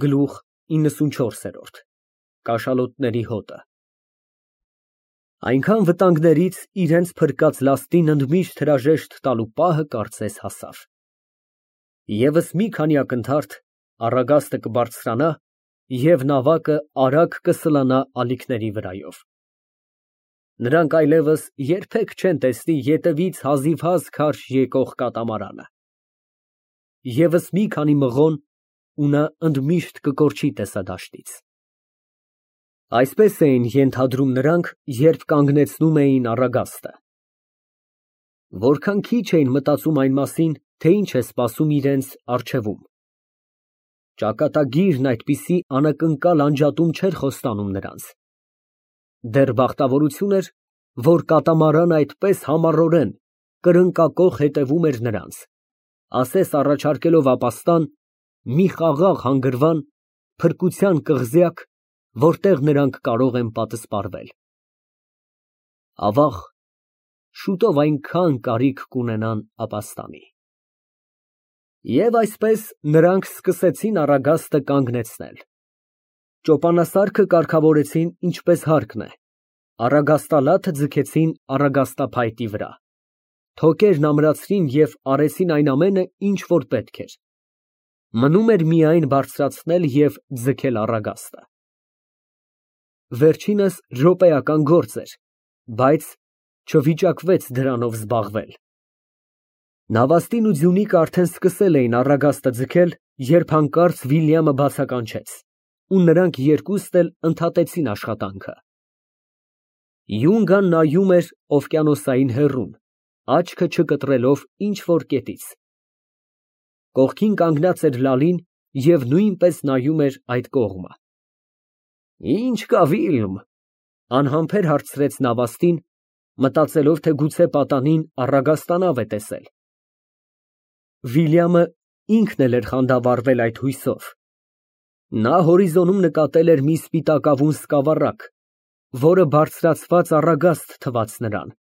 Գլուխ 94 Կաշալոտների հոտը։ Այնքան վտանգներից իրենց փրկած լաստին ընդմիշտ հրաժեշտ տալու պահը կարծես հասավ։ Եվս մի քանի ակնթարթ, առագաստը կբարձրանա և նավակը արագ կսլանա ալիքների վրայով։ Նրանք այլևս երբեք չեն տեսնի ետևից հազիվհազ քարշ եկող կատամարանը։ Եվս մի քանի մղոն, ու նա ընդմիշտ կկորչի տեսադաշտից։ Այսպես էին ենթադրում նրանք, երբ կանգնեցնում էին առագաստը։ Որքան քիչ էին մտածում այն մասին, թե ինչ է սպասում իրենց առջևում։ Ճակատագիրն այդպիսի անակնկալ անջատում չէր խոստանում նրանց։ Դեռ բախտավորություն էր, որ կատամարանը այդպես համառորեն, կրնկակոխ հետևում էր նրանց, ասես առաջարկելով ապաստան, մի խաղաղ հանգրվան, փրկության կղզյակ, որտեղ նրանք կարող են պատսպարվել։ Ավաղ, շուտով այնքան կարիք կունենան ապաստանի։ Եվ այսպես նրանք սկսեցին առագաստը կանգնեցնել։ Ճոպանասարքը կարգավորեցին ինչպես հարկն է, առագաստալաթը ձգեցին առագաստափայտի վրա, թոկերն ամրացրին և արեցին այն ամենը, ինչ որ պետք էր։ Մնում էր միայն բարձրացնել և ձգել առագաստը։ Վերջինս րոպեական գործ էր, բայց չվիճակվեց դրանով զբաղվել։ Նավաստին ու Ձյունիկը արդեն սկսել էին առագաստը ձգել, երբ հանկարծ Վիլյամը բացականչեց, ու նրանք երկուստ էլ ընդհատեցին աշխատանքը։ Յունգան նայում էր օվկիանոսային հեռուն, աչքը չկտրելով ինչ֊որ կետից։ Կողքին կանգնած էր Լալին և նույնպես նայում էր այդ կողմը։ Ի՞նչ կա, Վիլմ, անհամբեր հարցրեց նավաստին, մտածելով, թե գուցե պատանին առագաստանավ է տեսել։ Վիլյամը ինքն էլ էր խանդավառվել այդ հույսով։ Նա հորիզոնում նկատել էր մի սպիտակավուն սկավառակ, որը բարձրացված առագաստ թվաց նրան,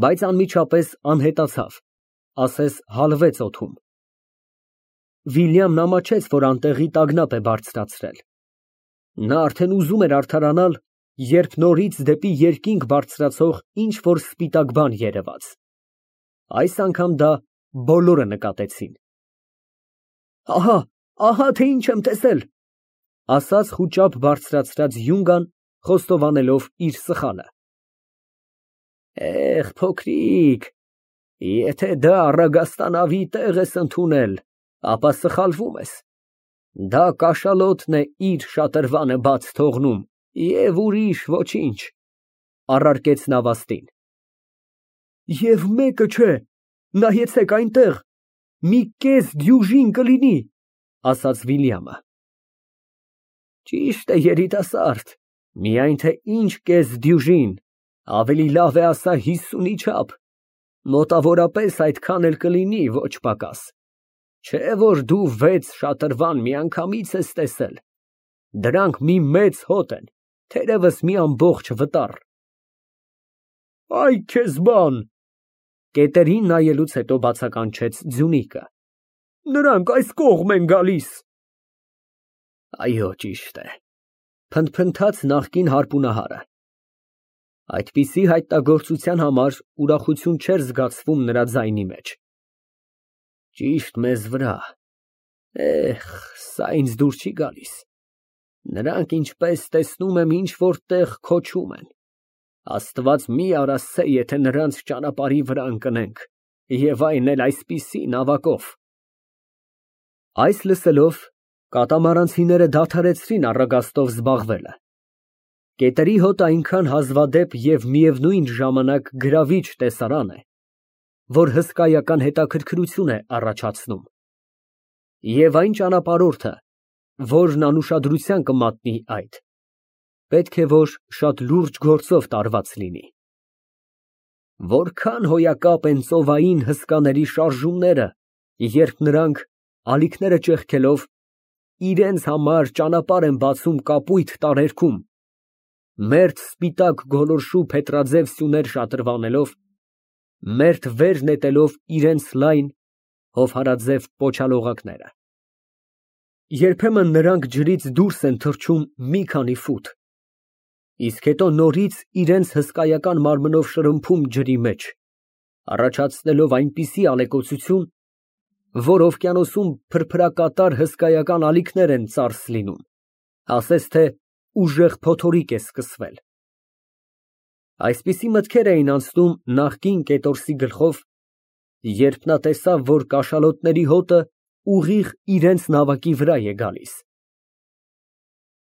բայց անմիջապես անհետացավ, ասես հալվեց օդում։ Վիլյամն ամաչեց, որ անտեղի տագնապ է բարձրացրել։ Նա արդեն ուզում էր արդարանալ, երբ նորից դեպի երկինք բարձրացող ինչ֊որ սպիտակ բան երևաց։ Այս անգամ դա բոլորը նկատեցին։ Ահա թե ինչ եմ տեսել, ասաց խուճապ բարձրացրած Յունգան, խոստովանելով իր սխալը։ Փոքրիկ, եթե դա առագաստանավի տեղ ես ընդունել, ապա սխալվում ես։ Դա կաշալոտն է իր շատրվանը բաց թողնում և ուրիշ ոչինչ, առարկեց նավաստին։ Եվ մեկը չէ, նայեցեք այնտեղ, մի կես դյուժին կլինի, ասաց Վիլյամը։ Ճիշտ է, երիտասարդ, միայն թե ինչ կես դյուժին, ավելի լավ է ասա 50-ի չափ, մոտավորապես այդքան էլ կլինի, ոչ պակաս, չէ որ դու 6 շատրվան միանգամից ես տեսել, դրանք մի մեծ հոտ են, թերևս մի ամբողջ վտառ։ Այ քեզ բան, կետերին նայելուց հետո բացականչեց Ձյունիկը, նրանք այս կողմ են գալիս։ Այո, ճիշտ է, փնթփնթաց նախկին հարպունահարը։ Այդպիսի հայտնագործության համար ուրախություն չէր զգացվում նրա ձայնի մեջ։ Ճիշտ մեզ վրա, սա ինձ դուր չի գալիս։ Նրանք ինչպես տեսնում եմ ինչ-որ տեղ քոչում են։ Աստված մի արասցե, եթե նրանց ճանապարհի վրա ընկնենք, և այն էլ այսպիսի նավակով։ Այս լսելով, կատամարանցիները դադարեցրին առագաստով զբաղվելը։ Կետերի հոտը այնքան հազվադեպ և միևնույն ժամանակ գրավիչ տեսարան է, որ հսկայական հետաքրքրություն է առաջացնում։ Եվ այն ճանապարհորդը, որն անուշադրության կմատնի այդ, պետք է որ շատ լուրջ գործով տարված լինի։ Որքան հոյակապ են ծովային հսկաների շարժումները, երբ նրանք, ալիքները ճեղքելով, իրենց համար ճանապարհ են բացում կապույտ տարերքում, մերթ սպիտակ գոլորշու փետրաձև սյուներ շատրվանելով, մերթ վեր նետելով իրենց լայն, հովհարաձև պոչալողակները։ Երբեմն նրանք ջրից դուրս են թռչում մի քանի ֆուտ, իսկ հետո նորից իրենց հսկայական մարմնով շրմփում ջրի մեջ, առաջացնելով այնպիսի ալեկոծություն, որ օվկիանոսում փրփրակատար հսկայական ալիքներ են ծարս լինում, ասես թե ուժեղ փոթորիկ է սկսվել։ Այսպիսի մտքեր էին անցնում նախկին կետորսի գլխով, երբ նա տեսավ, որ կաշալոտների հոտը ուղիղ իրենց նավակի վրա է գալիս։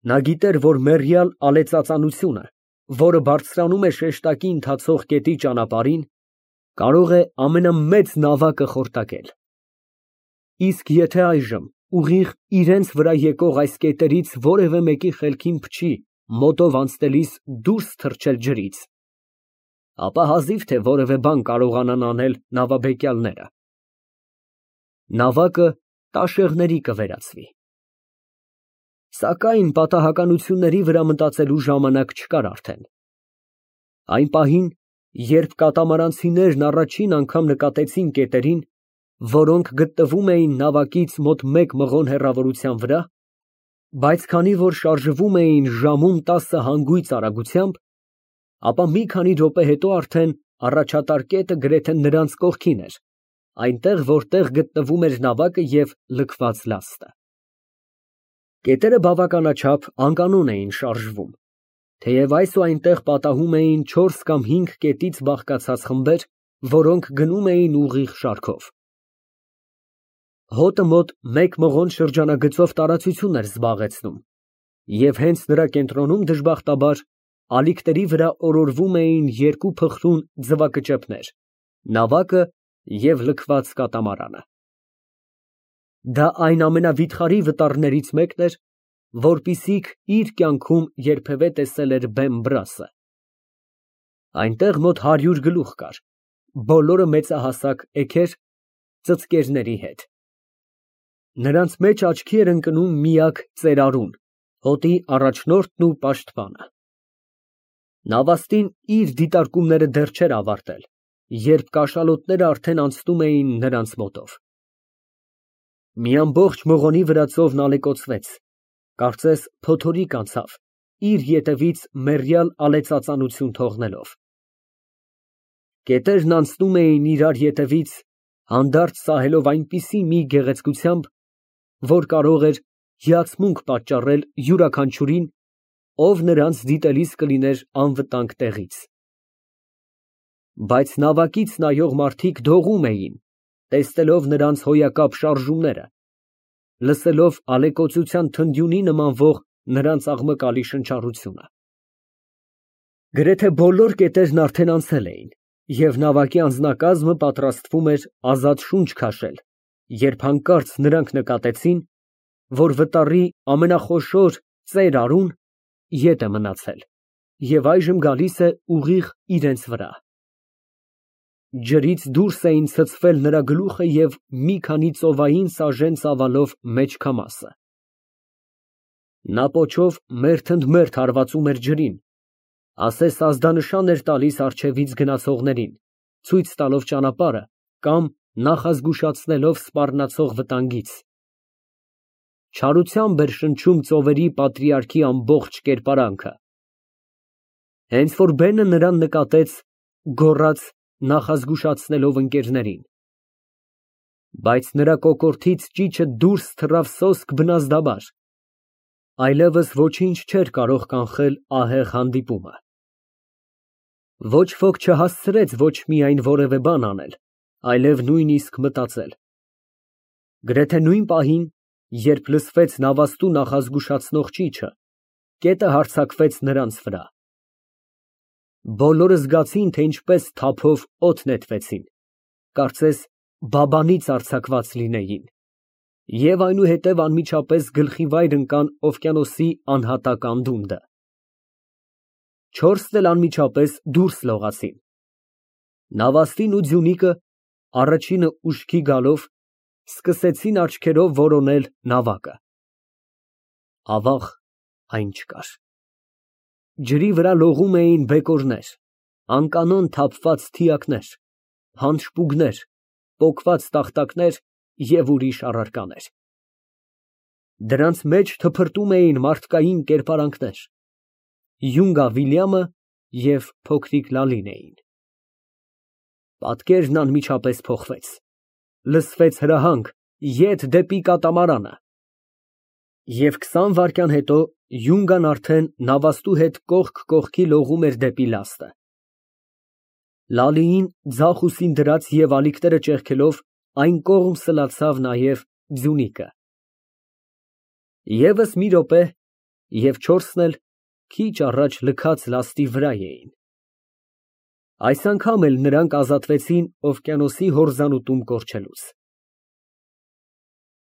Նա գիտեր, որ մեռյալ ալեցածանությունը, որը բարձրանում է շեշտակի ընթացող գետի ճանապարհին, կարող է ամենամեծ նավակը խորտակել։ Իսկ եթե այժմ ուղիղ իրենց վրա եկող այս կետերից որևէ մեկի խելքին փչի մոտով անցնելիս դուրս թռչել ջրից, ապա հազիվ թե որևէ բան կարողանան անել նավաբեկյալները։ Նավակը տաշեղների կվերածվի։ Սակայն պատահականությունների վրա մտածելու ժամանակ չկար արդեն։ Այն պահին, երբ կատամարանցիներն առաջին անգամ նկատեցին կետերին, որոնք գտնվում էին նավակից մոտ 1 մղոն հեռավորության վրա, բայց քանի որ շարժվում էին ժամում 10 հանգույց արագությամբ, ապա մի քանի րոպե հետո արդեն առաջատար կետը գրեթե նրանց կողքին էր, այնտեղ, որտեղ գտնվում էր նավակը և լքված լաստը։ Կետերը բավականաչափ անկանոն էին շարժվում, թեև այս ու այնտեղ պատահում էին 4 կամ 5 կետից բաղկացած խմբեր, որոնք գնում էին ուղիղ շարքով։ Հոտը մոտ 1 մղոն շրջանագծով տարածություն էր զբաղեցնում, և հենց նրա կենտրոնում դժբախտաբար ալիքների վրա օրորվում էին 2 փխրուն ձվակճեպներ՝ նավակը և լքված կատամարանը։ Դա այն ամենավիթխարի վտարներից մեկն էր, որպիսիք իր կյանքում երբևէ տեսել էր Բեմ֊Բրասը։ Այնտեղ մոտ 100 գլուխ կար, բոլորը մեծահասակ էգեր, ծծկերների հետ։ Նրանց մեջ աչքի էր ընկնում միակ ծերարուն, հոտի առաջնորդն ու պաշտպանը։ Նավաստին իր դիտարկումները դեռ չէր ավարտել, երբ կաշալոտները արդեն անցնում էին նրանց մոտով։ Մի ամբողջ մղոնի վրա ծովն ալեկոծվեց, կարծես փոթորիկ անցավ, իր ետևից մեռյալ ալեցածանություն թողնելով։ Կետերն անցնում էին իրար ետևից, հանդարտ սահելով այնպիսի մի գեղեցկությամբ, որ կարող էր հիացմունք պատճառել յուրաքանչյուրին, ով նրանց դիտելիս կլիներ անվտանգ տեղից։ Բայց նավակից նայող մարդիկ դողում էին, տեսնելով նրանց հոյակապ շարժումները, լսելով ալեկոծության թնդյունի նմանվող նրանց աղմկալի շնչառությունը։ Գրեթե բոլոր կետերն արդեն անցել էին, և նավակի անձնակազմը պատրաստվում էր ազատ շունչ քաշել, երբ հանկարծ նրանք նկատեցին, որ վտարի ամենախոշոր ծեր արուն ետ է մնացել և այժմ գալիս է ուղիղ իրենց վրա։ Ջրից դուրս էին ցցվել նրա գլուխը և մի քանի ծովային սաժեն ծավալով մեջ քամասը։ Նա պոչով մերթ ընդ մերթ հարվածում էր ջրին, ասես ազդանշան էր տալիս առջևից գնացողներին, ցույց տալով ճանապարհը կամ նախազգուշացնելով սպառնացող վտանգից։ Չարությամբ էր շնչում ծովերի պատրիարքի ամբողջ կերպարանքը։ Հենց որ բենը նրան նկատեց, գոռաց, նախազգուշացնելով ընկերներին։ Բայց նրա կոկորդից ճիչը դուրս թռավ սոսկ բնազդաբար, այլևս ոչինչ չէր կարող կանխել ահեղ հանդիպումը։ Ոչ ոք չհասցրեց ոչ միայն որևէ բան անել, այլև նույնիսկ մտածել։ Գրեթե նույն պահին, երբ լսվեց նավաստու նախազգուշացնող ճիչը, կետը հարձակվեց նրանց վրա։ Բոլորը զգացին, թե ինչպես թափով օդ նետվեցին, կարծես բաբանից արձակված լինեին, և այնուհետև անմիջապես գլխիվայր ընկան օվկիանոսի անհատակ անդունդը։ 4-ն էլ անմիջապես դուրս լողացին։ Նավաստին ու Ձյունիկը, առաջինը ուշքի գալով, սկսեցին աչքերով որոնել նավակը։ Ավաղ, այն չկար։ Ջրի վրա լողում էին բեկորներ, անկանոն թափված թիակներ, հանշպուգներ, պոկված տախտակներ և ուրիշ առարկաներ։ Դրանց մեջ թփրտում էին մարդկային կերպարանքներ։ Յունգա Վիլյամը և փոքրիկ Լալին էին։ Պատկերն անմիջապես փոխվեց, լսվեց հրահանգ. «Ետ դեպի կատամարանը»։ Եվ 20 վայրկյան հետո Յունգան արդեն նավաստու հետ կողք կողքի լողում էր դեպի լաստը։ Լալիին ձախ ուսին դրած և ալիքները ճեղքելով, այն կողմ սլացավ նաև Ձյունիկը։ ԵՒս մի րոպե, և չորսն էլ քիչ առաջ լքած լաստի վրա էին։ Այս անգամ էլ նրանք ազատվեցին օվկիանոսի հորզանուտում կորչելուց։